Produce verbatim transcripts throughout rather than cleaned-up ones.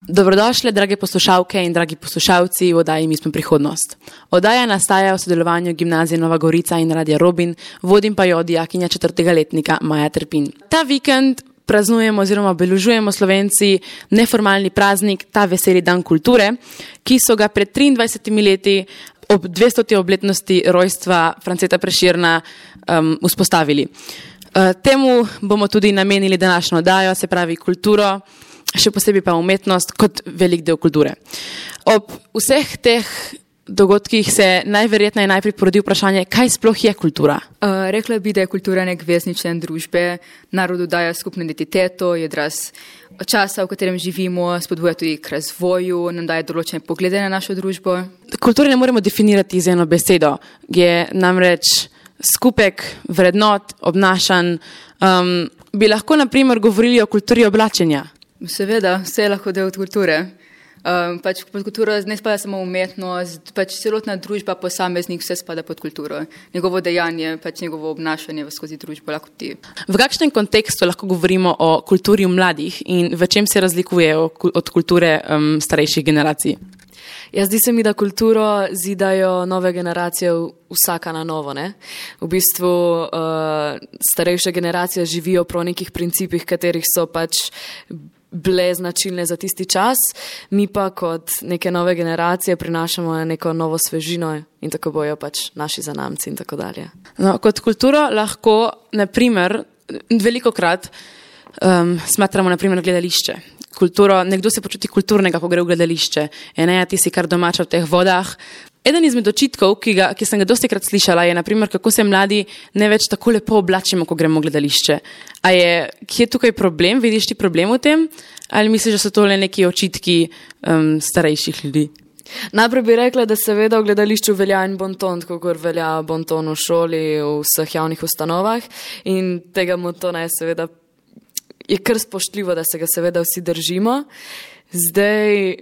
Dobrodošli, drage poslušalke in dragi poslušalci v oddaji Mi smo prihodnost. Oddaja nastaja v sodelovanju Gimnazije Nova Gorica in Radia Robin, vodim pa jo dijakinja četrtega letnika Maja Trpin. Ta vikend praznujemo oziroma obeležujemo Slovenci neformalni praznik, ta veseli dan kulture, ki so ga pred triindvajsetimi leti ob dvestoti obletnosti rojstva Franceta Prešerna um, vzpostavili. Uh, temu bomo tudi namenili današnjo oddajo, se pravi kulturo, še posebej pa umetnost kot velik del kulture. Ob vseh teh dogodkih se najverjetneje najprej porodi vprašanje, kaj sploh je kultura? Uh, rekla bi, da je kultura nek vezni člen družbe, narodu daje skupno identiteto, je odraz časa, v katerem živimo, spodbuja tudi k razvoju, nam daje določene poglede na našo družbo. Kulturo ne moremo definirati z eno besedo, je namreč skupek vrednot, obnašanj. Um, bi lahko na primer govorili o kulturi oblačenja? Seveda, vse je lahko del kulture. Um, pač pod kulturo ne spada samo umetnost, pač celotna družba, posameznik, vse spada pod kulturo. Njegovo dejanje, pač njegovo obnašanje skozi družbo lahko ti. V kakšnem kontekstu lahko govorimo o kulturi mladih in v čem se razlikuje od kulture um, starejših generacij? Ja, zdi se mi, da kulturo zidajo nove generacije vsaka na novo, ne? V bistvu uh, starejše generacije živijo pro nekih principih, katerih so pač bile značilne za tisti čas, mi pa kot neke nove generacije prinašamo neko novo svežino in tako bojo pač naši zanamci in tako dalje. No, kot kulturo lahko, na primer, velikokrat um, smatramo na primer gledališče. Kulturo, nekdo se počuti kulturnega, ko gre v gledališče. Eneja, ti si kar domača v teh vodah. Eden izmed očitkov, ki, ga, ki sem ga dostikrat slišala, je naprimer, kako se mladi ne več tako lepo oblačimo, ko gremo v gledališče. A je, kje je tukaj problem? Vidiš ti problem v tem? Ali misliš, da so to le neki očitki um, starejših ljudi? Najprej bi rekla, da seveda v gledališču velja en bonton, kakor velja bonton v šoli, v vseh javnih ustanovah in tega montona je seveda je kar spoštljivo, da se ga seveda vsi držimo. Zdaj,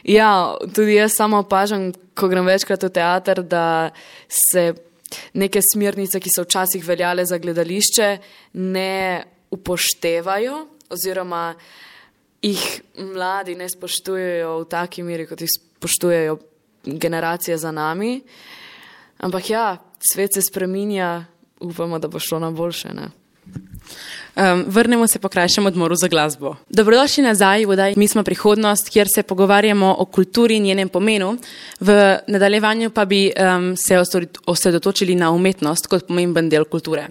ja, tudi jaz samo opažam, ko grem večkrat v teater, da se neke smernice, ki so včasih veljale za gledališče, ne upoštevajo oziroma jih mladi ne spoštujejo v taki meri, kot jih spoštujejo generacije za nami. Ampak ja, svet se spreminja, upamo, da bo šlo na boljše, ne? Um, vrnemo se po krajšem odmoru za glasbo. Dobrodošli nazaj v oddaji Mi smo prihodnost, kjer se pogovarjamo o kulturi in njenem pomenu. V nadaljevanju pa bi um, se osredotočili na umetnost kot pomemben del kulture.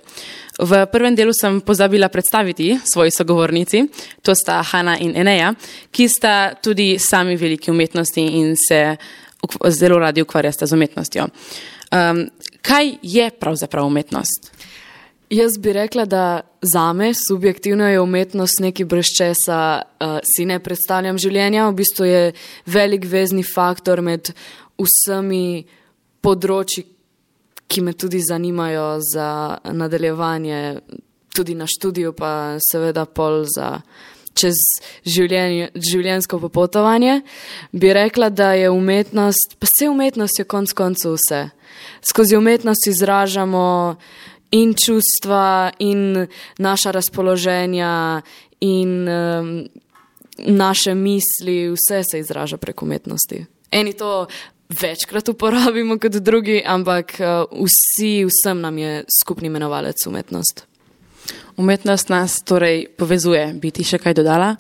V prvem delu sem pozabila predstaviti svoji sogovornici, to sta Hana in Eneja, ki sta tudi sami veliki umetnosti in se zelo radi ukvarjata z umetnostjo. Um, kaj je pravzaprav umetnost? Jaz bi rekla, da zame subjektivno je umetnost nekaj brez česa uh, si ne predstavljam življenja. V bistvu je velik vezni faktor med vsemi področji, ki me tudi zanimajo za nadaljevanje, tudi na študiju, pa seveda pol za čez življenje, življenjsko popotovanje. Bi rekla, da je umetnost, pa vse umetnost je konc koncu vse. Skozi umetnost izražamo in čustva, in naša razpoloženja, in um, naše misli, vse se izraža prek umetnosti. Eni to večkrat uporabimo kot drugi, ampak uh, vsi, vsem nam je skupni imenovalec umetnost. Umetnost nas torej povezuje. Bi ti še kaj dodala?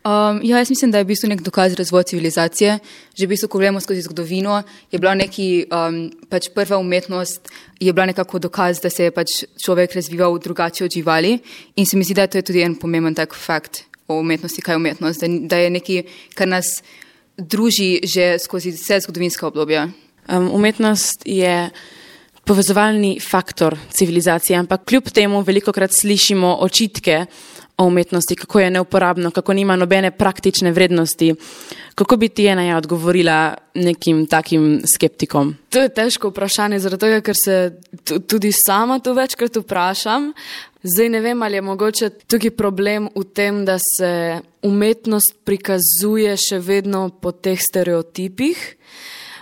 Um, ja, jaz mislim, da je v bistvu nek dokaz razvoja civilizacije. Že v bistvu, ko gledamo skozi zgodovino, je bila neki, um, pač prva umetnost je bila nekako dokaz, da se je pač človek razvival drugače od živali in se mi zdi, da to je tudi en pomemben tak fakt o umetnosti, kaj je umetnost, da, da je nekaj, kar nas druži že skozi vse zgodovinska obdobja. Um, umetnost je povezovalni faktor civilizacije, ampak kljub temu velikokrat slišimo očitke o umetnosti, kako je neuporabno, kako nima nobene praktične vrednosti. Kako bi ti Eneja odgovorila nekim takim skeptikom? To je težko vprašanje, zaradi tega, ker se tudi sama to večkrat vprašam. Zdaj ne vem, ali je mogoče tukaj problem v tem, da se umetnost prikazuje še vedno po teh stereotipih.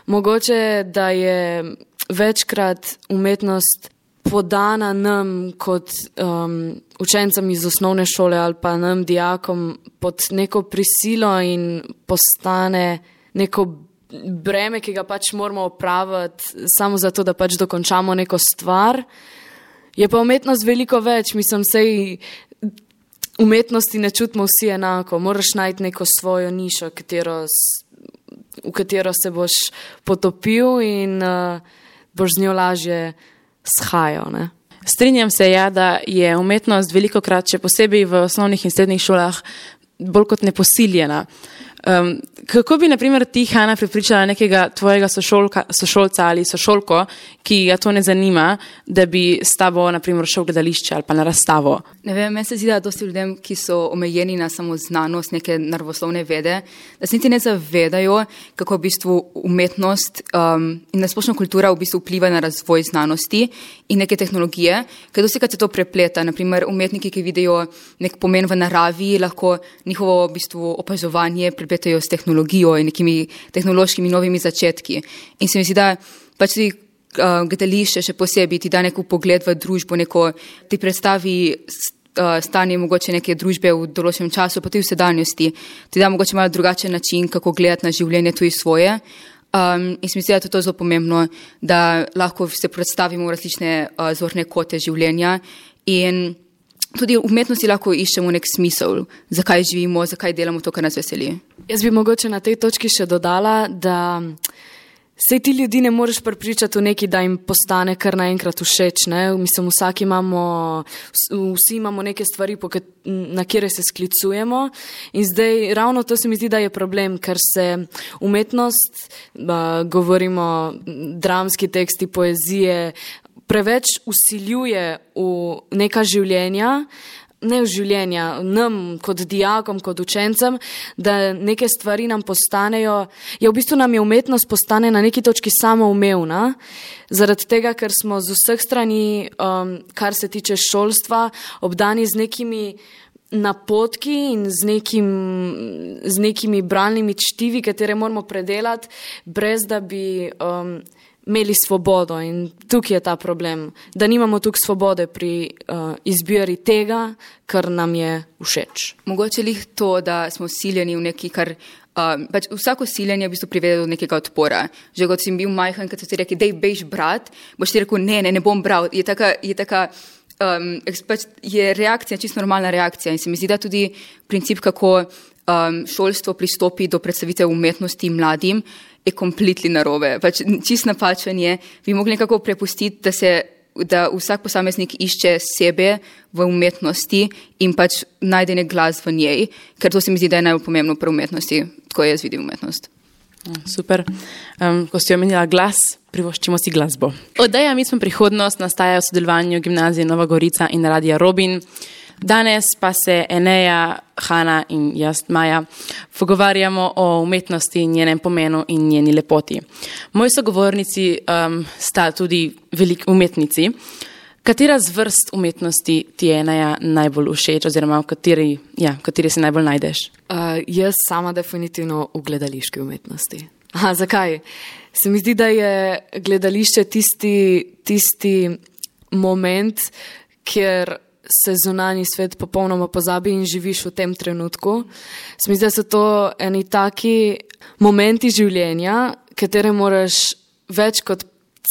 Mogoče, da je večkrat umetnost podana nam kot um, učencem iz osnovne šole ali pa nam dijakom pod neko prisilo in postane neko breme, ki ga pač moramo opraviti samo zato, da pač dokončamo neko stvar. Je pa umetnost veliko več, mislim, sej umetnosti ne čutimo vsi enako, moraš najti neko svojo nišo, katero, v katero se boš potopil in uh, boš z njo lažje shajal, ne? Strinjam se, ja, da je umetnost velikokrat, še posebej v osnovnih in srednjih šolah, bolj kot neposiljena. Um, kako bi, na primer, ti, Hana, prepričala nekega tvojega sošolka, sošolca ali sošolko, ki ga to ne zanima, da bi s tabo, na primer, šel v gledališče ali pa na razstavo? Ne vem, meni se zdi, da dosti ljudem, ki so omejeni na samo znanost, neke naravoslovne vede, da se niti ne zavedajo, kako v bistvu umetnost um, in nasplošno kultura v bistvu vpliva na razvoj znanosti in neke tehnologije, ker dosti krat se to prepleta. Na primer, umetniki, ki vidijo nek pomen v naravi, lahko njihovo v bistvu opazovanje prepletajo s tehnologijo in nekimi tehnološkimi novimi začetki. In se mi zdi, da pač tudi uh, gledališče še posebej ti da neko pogled v družbo, neko ti predstavi uh, stanje mogoče neke družbe v določenem času, pa tudi v sedanjosti. Ti da mogoče malo drugačen način, kako gledati na življenje tudi svoje. Um, in se mi zdi, da je to zelo pomembno, da lahko se predstavimo v različne uh, zorne kote življenja in tudi v umetnosti lahko iščemo nek smisel, zakaj živimo, zakaj delamo to, kar nas veseli. Jaz bi mogoče na tej točki še dodala, da se ti ljudi ne moreš prepričati v neki, da jim postane kar naenkrat všeč, ne? Mislim, vsaki imamo, vsi imamo neke stvari, na kjer se sklicujemo in zdaj ravno to se mi zdi, da je problem, ker se umetnost, govorimo dramski teksti, poezije, preveč usiljuje v neka življenja, ne v življenja, nam kot dijakom, kot učencem, da neke stvari nam postanejo, ja v bistvu nam je umetnost postane na neki točki samoumevna, zaradi tega, ker smo z vseh strani, um, kar se tiče šolstva, obdani z nekimi napotki in z, nekim, z nekimi bralnimi čtivi, katere moramo predelati, brez da bi um, imeli svobodo in tukaj je ta problem, da nimamo tukaj svobode pri uh, izbiri tega, kar nam je všeč. Mogoče lih to, da smo siljeni v neki, kar uh, pač vsako siljenje v bistvu privede do nekega odpora. Že kot si bil majhen, kad so ti rekli, dej bejš brat, boš ti rekel, ne, ne, ne bom bral. Je taka, je taka um, pač je reakcija, čisto normalna reakcija in se mi zdi, da tudi princip, kako um, šolstvo pristopi do predstavitev umetnosti mladim, je kompletno narobe. Pač čist napačen je, bi mogli nekako prepustiti, da se da vsak posameznik išče sebe v umetnosti in pač najde nek glas v njej, ker to se mi zdi, da je najbolj pomembno pri umetnosti, tako jaz vidim umetnost. Super. Um, ko si omenila glas, privoščimo si glasbo. Oddaja Mi smo prihodnost nastaja v sodelovanju Gimnazije Nova Gorica in Radia Robin. Danes pa se Eneja, Hana in jaz, Maja, pogovarjamo o umetnosti, njenem pomenu in njeni lepoti. Moji sogovornici um, sta tudi veliki umetnici. Katera z vrst umetnosti ti je, Eneja, najbolj všeč oziroma v kateri, ja, v kateri se najbolj najdeš? Uh, jaz sama definitivno v gledališki umetnosti. Aha, zakaj? Se mi zdi, da je gledališče tisti, tisti moment, kjer se zunanji svet popolnoma pozabi in živiš v tem trenutku. Se mi zdi, da so to eni taki momenti življenja, katere moraš več kot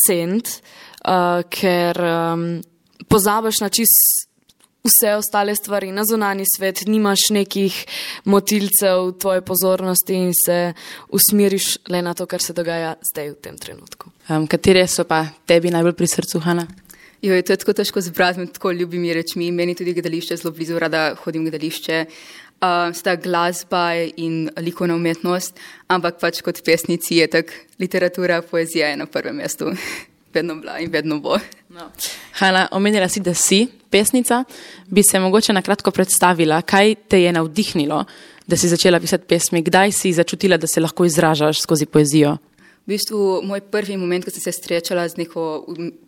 ceniti, uh, ker um, pozabiš na čist vse ostale stvari, na zunanji svet, nimaš nekih motilcev tvoje pozornosti in se usmeriš le na to, kar se dogaja zdaj v tem trenutku. Um, katere so pa tebi najbolj pri srcu, Hana? Jo, je to tako težko zbrati med tako ljubimi rečmi. Meni tudi gledališče zelo blizu, rada hodim v gledališče. Uh, sta glasba in likovna umetnost, ampak pač kot pesnici je tak literatura, poezija je na prvem mestu. Vedno bila in vedno bo. No. Hana, omenila si, da si pesnica. Bi se mogoče na kratko predstavila, kaj te je navdihnilo, da si začela pisati pesmi? Kdaj si začutila, da se lahko izražaš skozi poezijo? V bistvu, moj prvi moment, ko sem se srečala z neko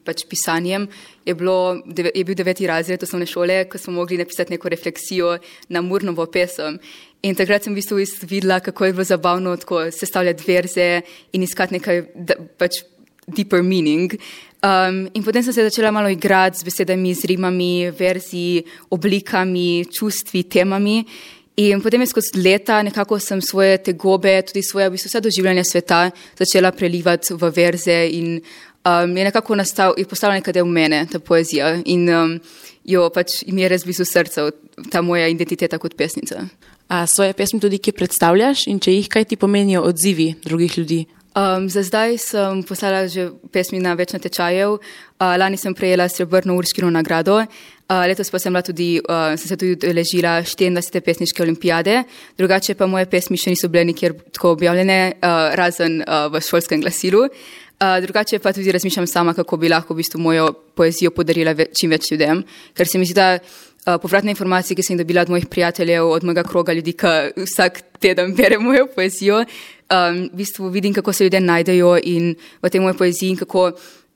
pač pisanjem, je, bilo, je bil deveti razred osnovne šole, ko smo mogli napisati neko refleksijo na Murnovo pesem. In takrat sem v bistvu videla, kako je bilo zabavno tako sestavljati verze in iskati nekaj, da, pač deeper meaning. Um, in potem sem se začela malo igrati z besedami, z rimami, verzi, oblikami, čustvi, temami. In potem je skozi leta nekako sem svoje tegobe, tudi svoje v bistvu vse doživljanje sveta začela prelivati v verze in um, je nekako nastal, je postala neka del mene, ta poezija. In um, jo pač mi je res blizu srca, ta moja identiteta kot pesnica. A svoje pesmi tudi kje predstavljaš in če jih, kaj ti pomenijo odzivi drugih ljudi? Um, za zdaj sem poslala že pesmi na več natečajev. Uh, lani sem prejela srebrno Urškino nagrado. Uh, letos pa sem, tudi, uh, sem se tudi udeležila štiriindvajsete pesniške olimpijade. Drugače pa moje pesmi še niso bile nikjer tako objavljene, uh, razen uh, v šolskem glasilu. Uh, drugače pa tudi razmišljam sama, kako bi lahko v bistvu mojo poezijo podarila ve- čim več ljudem. Ker se mi zdi, da uh, povratne informacije, ki sem jih dobila od mojih prijateljev, od mojega kroga ljudi, ki vsak teden bere mojo poezijo, Um, v bistvu vidim, kako se ljudje najdejo in v tej moje poeziji in kako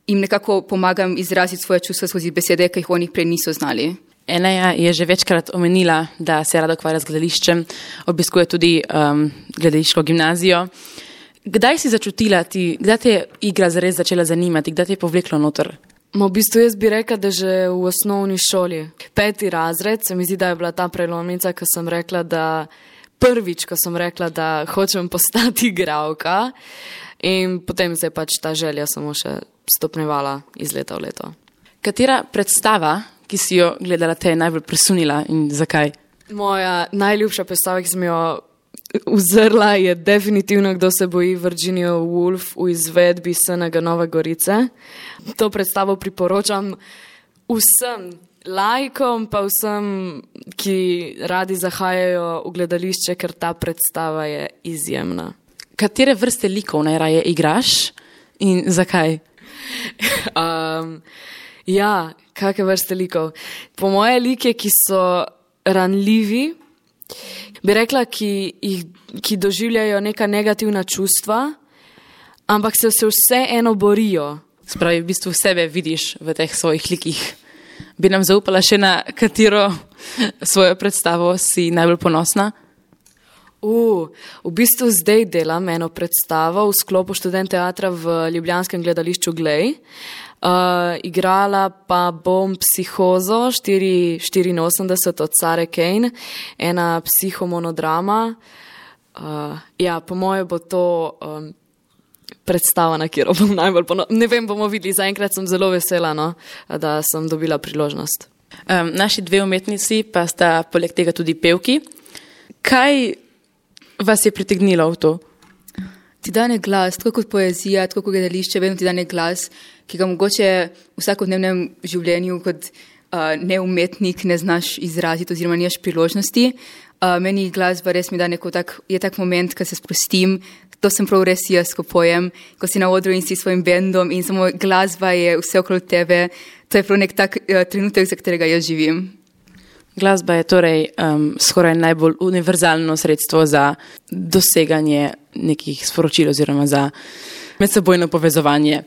jim nekako pomagam izraziti svoje čustva skozi besede, ki jih oni prej niso znali. Eneja je že večkrat omenila, da se rada ukvarja z gledališčem, obiskuje tudi um, gledališko gimnazijo. Kdaj si začutila ti, kdaj te je igra zares začela zanimati, kdaj te je povleklo noter? V bistvu jaz bi rekla, da že v osnovni šoli. Peti razred, se mi zdi, da je bila ta prelomnica, ko sem rekla, da prvič, ko sem rekla, da hočem postati igralka in potem se je pač ta želja samo še stopnjevala iz leta v leto. Katera predstava, ki si jo gledala, te je najbolj presunila in zakaj? Moja najljubša predstava, ki sem jo uzrla, je definitivno Kdo se boji Virginia Woolf v izvedbi S N G Nove Gorice. To predstavo priporočam vsem laikom, pa vsem, ki radi zahajajo v gledališče, ker ta predstava je izjemna. Katere vrste likov najraje igraš in zakaj? um, ja, kakve vrste likov? Po moje like, ki so ranljivi, bi rekla, ki, jih, ki doživljajo neka negativna čustva, ampak se, se vse eno borijo. Spravi, v bistvu sebe vidiš v teh svojih likih. Bi nam zaupala še na katero svojo predstavo si najbolj ponosna? Uh, v bistvu zdaj delam eno predstavo v sklopu Študent teatra v ljubljanskem gledališču Glej. Uh, igrala pa bom Psihozo štiri štiriinosemdeset od Sare Kane, ena psihomonodrama. Uh, ja, po moje bo to um, predstava, na kjer bom najbolj ponosna. Ne vem, bomo videli, zaenkrat sem zelo vesela, no, da sem dobila priložnost. Um, naši dve umetnici pa sta poleg tega tudi pevki. Kaj vas je pritegnilo v to? Ti dane glas, tako kot poezija, tako kot gledališče, vedno ti dane glas, ki ga mogoče v vsakodnevnem življenju kot uh, neumetnik ne znaš izraziti oziroma nimaš priložnosti. Uh, meni glas pa res mi da neko tak, je tak moment, ko se sprostim. To sem prav res jaz, ko pojem, ko si na odru in si s svojim bendom in samo glasba je vse okoli tebe. To je prav nek tak uh, trenutek, za katerega jaz živim. Glasba je torej um, skoraj najbolj univerzalno sredstvo za doseganje nekih sporočil oziroma za medsebojno povezovanje.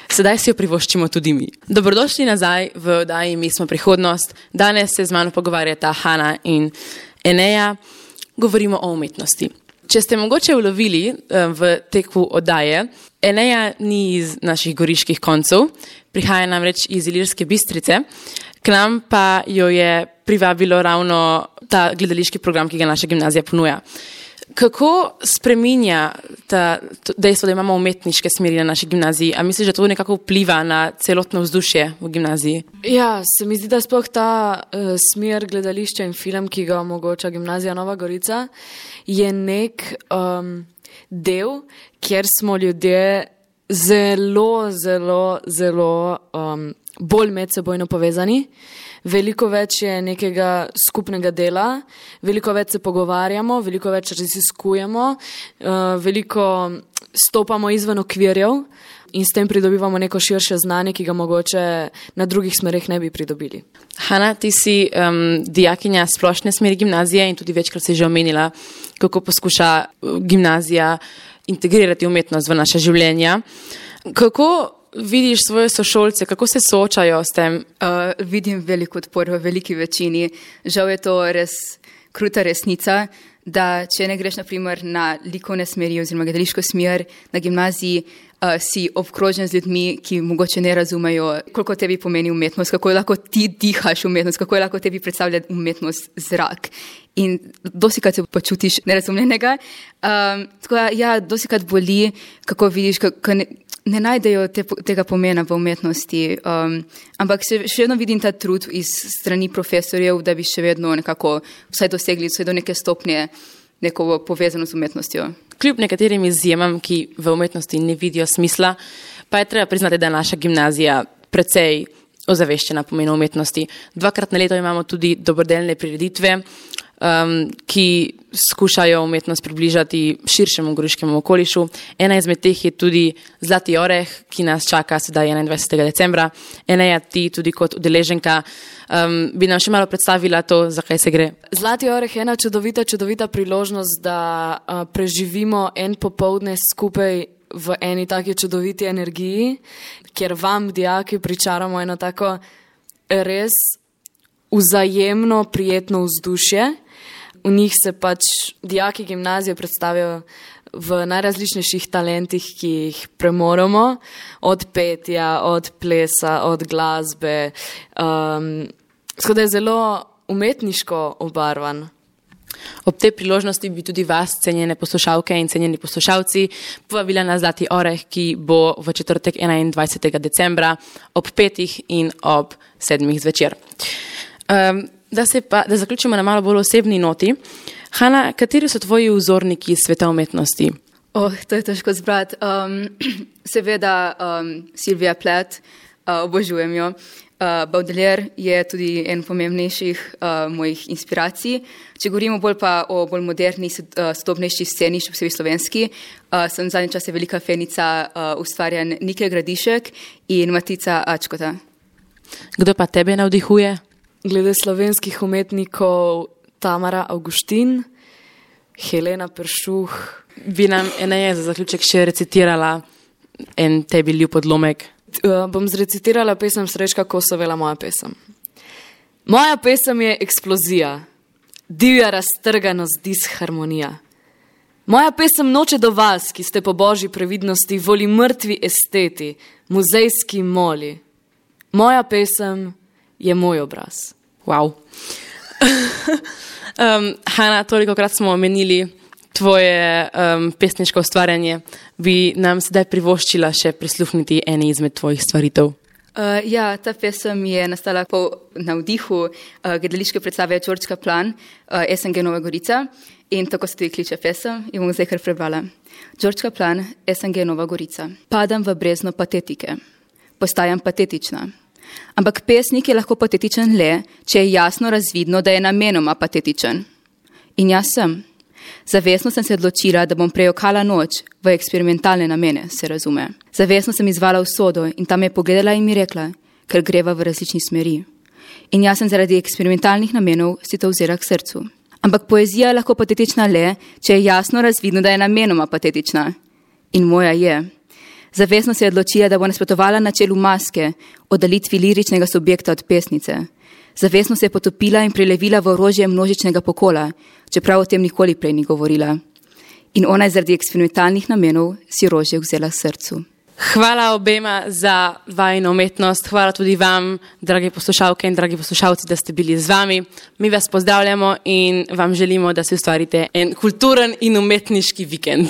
Sedaj si jo privoščimo tudi mi. Dobrodošli nazaj v oddaji Mi smo prihodnost. Danes se z mano pogovarjata Hana in Eneja. Govorimo o umetnosti. Če ste mogoče ulovili v teku oddaje, Eneja ni iz naših goriških koncev, prihaja namreč iz Ilirske Bistrice, k nam pa jo je privabilo ravno ta gledališki program, ki ga naša gimnazija ponuja. Kako spreminja ta dejstvo, da imamo umetniške smeri na naši gimnaziji? A misliš, da to nekako vpliva na celotno vzdušje v gimnaziji? Ja, se mi zdi, da sploh ta uh, smer gledališča in film, ki ga omogoča Gimnazija Nova Gorica, je nek um, del, kjer smo ljudje zelo, zelo, zelo um, bolj medsebojno povezani. Veliko več je nekega skupnega dela, veliko več se pogovarjamo, veliko več raziskujemo, veliko stopamo izven okvirjev in s tem pridobivamo neko širše znanje, ki ga mogoče na drugih smereh ne bi pridobili. Hana, ti si um, dijakinja splošne smeri gimnazije in tudi večkrat si že omenila, kako poskuša gimnazija integrirati umetnost v naše življenja. Kako vidiš svoje sošolce, kako se soočajo s tem? Uh, vidim veliko odpor v veliki večini. Žal je to res kruta resnica, da če ne greš naprimer na likovne smeri oziroma gledališko smer na gimnaziji, uh, si obkrožen z ljudmi, ki mogoče ne razumejo, koliko tebi pomeni umetnost, kako lahko ti dihaš umetnost, kako lahko tebi predstavlja umetnost zrak. In dosikrat se počutiš nerazumljenega. Um, tako da, ja, dosikrat boli, kako vidiš, kako ne, ne najdejo te, tega pomena v umetnosti. Um, ampak še, še vedno vidim ta trud iz strani profesorjev, da bi še vedno nekako vsaj dosegli vsaj do neke stopnje neko povezano z umetnostjo. Kljub nekaterim izjemam, ki v umetnosti ne vidijo smisla, pa je treba priznati, da je naša gimnazija precej ozaveščena pomenu umetnosti. Dvakrat na leto imamo tudi dobrodelne prireditve, Um, ki skušajo umetnost približati širšemu goriškemu okolišu. Ena izmed teh je tudi Zlati oreh, ki nas čaka sedaj enaindvajsetega decembra. Ena je ti tudi kot udeleženka. Um, bi nam še malo predstavila to, zakaj se gre? Zlati oreh je ena čudovita, čudovita priložnost, da uh, preživimo en popoldne skupaj v eni taki čudoviti energiji, kjer vam, dijaki, pričaramo eno tako res vzajemno prijetno vzdušje. V njih se pač dijaki gimnazije predstavijo v najrazličnejših talentih, ki jih premoramo, od petja, od plesa, od glasbe. Um, Skoraj je zelo umetniško obarvan. Ob tej priložnosti bi tudi vas, cenjene poslušalke in cenjeni poslušalci, povabila na Zlati oreh, ki bo v četrtek enaindvajsetega decembra ob petih in ob sedmih zvečer. Um, Da, se pa, da zaključimo na malo bolj osebni noti. Hana, kateri so tvoji vzorniki sveta umetnosti? Oh, to je težko zbrati. Um, seveda um, Silvia Plath, uh, obožujem jo. Uh, Baudelaire je tudi en pomembnejših uh, mojih inspiracij. Če govorimo bolj pa o bolj moderni, uh, sodobnejši sceni, še posebej slovenski, uh, sem zadnji čas velika fenica uh, ustvarjanj Nike Gradišek in Matica Ačkota. Kdo pa tebe navdihuje? Glede slovenskih umetnikov Tamara Avguštin, Helena Peršuh. Bi nam Eneja za zaključek še recitirala en tebi ljub odlomek? Uh, bom zrecitirala pesem Srečka Kosovela, moja pesem. Moja pesem je eksplozija, divja raztrganost, disharmonija. Moja pesem noče do vas, ki ste po božji previdnosti voli mrtvi esteti, muzejski moli. Moja pesem je moj obraz. Wow. um, Hana, toliko krat smo omenili tvoje um, pesniško ustvarjanje. Bi nam sedaj privoščila še prisluhniti eni izmed tvojih stvaritev? Uh, ja, ta pesem je nastala po navdihu uh, gledališke predstave Đorđe Kaplan, uh, S N G Nova Gorica, in tako se tudi kliče pesem in bom zdaj kar prebrala. Đorđe Kaplan, S N G Nova Gorica. Padam v brezno patetike. Postajam patetična. Ampak pesnik je lahko patetičen le, če je jasno razvidno, da je namenoma patetičen. In jaz sem. Zavestno sem se odločila, da bom prejokala noč v eksperimentalne namene, se razume. Zavestno sem izvala usodo in tam je pogledala in mi rekla, ker greva v različni smeri. In jaz sem zaradi eksperimentalnih namenov si to vzela k srcu. Ampak poezija je lahko patetična le, če je jasno razvidno, da je namenoma patetična. In moja je. Zavestno se je odločila, da bo nasprotovala načelu maske, oddalitvi liričnega subjekta od pesnice. Zavestno se je potopila in prelevila v orožje množičnega pokola, čeprav o tem nikoli prej ni govorila. In ona je zaradi eksperimentalnih namenov si orožje vzela k srcu. Hvala obema za vajino umetnost, hvala tudi vam, dragi poslušalke in dragi poslušalci, da ste bili z vami. Mi vas pozdravljamo in vam želimo, da si ustvarite en kulturen in umetniški vikend.